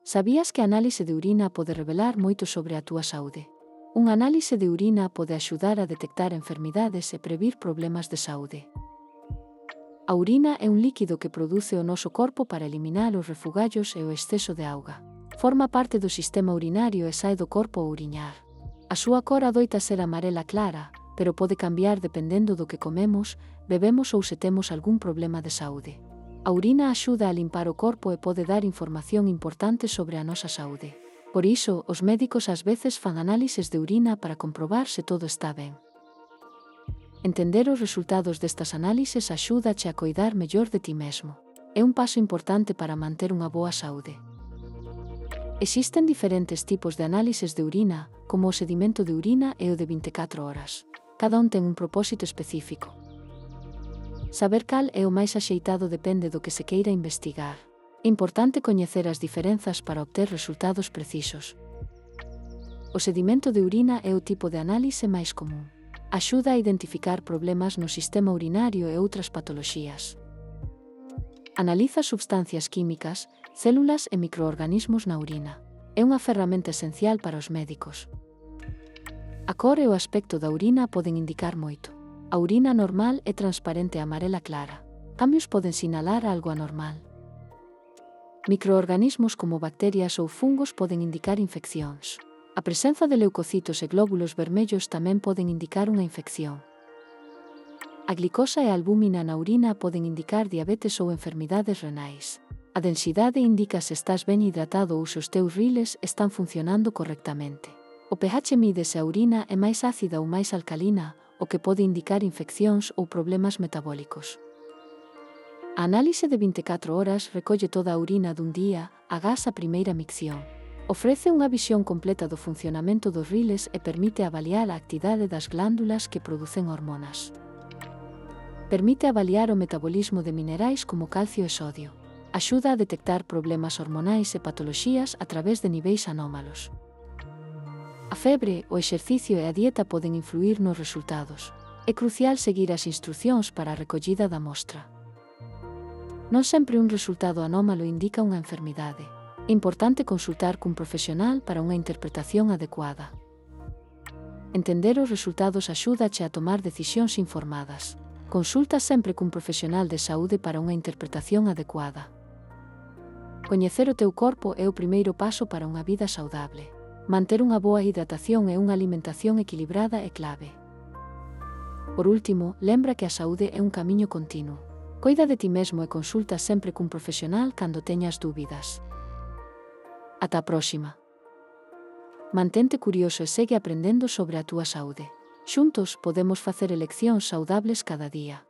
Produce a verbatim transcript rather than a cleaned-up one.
Sabías que a análise de urina pode revelar moito sobre a túa saúde? Unha análise de urina pode axudar a detectar enfermidades e previr problemas de saúde. A urina é un líquido que produce o noso corpo para eliminar os refugallos e o exceso de auga. Forma parte do sistema urinario e sae do corpo ao uriñar. A súa cor adoita ser amarela clara, pero pode cambiar dependendo do que comemos, bebemos ou se temos algún problema de saúde. A urina axuda a limpar o corpo e pode dar información importante sobre a nosa saúde. Por iso, os médicos ás veces fan análises de urina para comprobar se todo está ben. Entender os resultados destas análises axúdache a coidar mellor de ti mesmo. É un paso importante para manter unha boa saúde. Existen diferentes tipos de análises de urina, como o sedimento de urina e o de vinte e catro horas. Cada un ten un propósito específico. Saber cal é o máis axeitado depende do que se queira investigar. É importante coñecer as diferenzas para obter resultados precisos. O sedimento de urina é o tipo de análise máis común. Axuda a identificar problemas no sistema urinario e outras patoloxías. Analiza substancias químicas, células e microorganismos na urina. É unha ferramenta esencial para os médicos. A cor e o aspecto da urina poden indicar moito. A urina normal é transparente e amarela clara. Cambios poden sinalar algo anormal. Microorganismos como bacterias ou fungos poden indicar infeccións. A presenza de leucocitos e glóbulos vermellos tamén poden indicar unha infección. A glicosa e a albúmina na urina poden indicar diabetes ou enfermidades renais. A densidade indica se estás ben hidratado ou se os teus riles están funcionando correctamente. O pH mide se a urina é máis ácida ou máis alcalina, o que pode indicar infeccións ou problemas metabólicos. A análise de vinte e catro horas recolle toda a urina dun día, agás a primeira micción. Ofrece unha visión completa do funcionamento dos riles e permite avaliar a actividade das glándulas que producen hormonas. Permite avaliar o metabolismo de minerais como calcio e sodio. Axuda a detectar problemas hormonais e patoloxías a través de niveis anómalos. A febre, o exercicio e a dieta poden influir nos resultados. É crucial seguir as instrucións para a recollida da mostra. Non sempre un resultado anómalo indica unha enfermidade. É importante consultar cun profesional para unha interpretación adecuada. Entender os resultados axúdache a tomar decisións informadas. Consulta sempre cun profesional de saúde para unha interpretación adecuada. Coñecer o teu corpo é o primeiro paso para unha vida saudable. Manter unha boa hidratación e unha alimentación equilibrada é clave. Por último, lembra que a saúde é un camiño continuo. Coida de ti mesmo e consulta sempre cun profesional cando teñas dúbidas. Ata a próxima. Mantente curioso e segue aprendendo sobre a túa saúde. Xuntos podemos facer eleccións saudables cada día.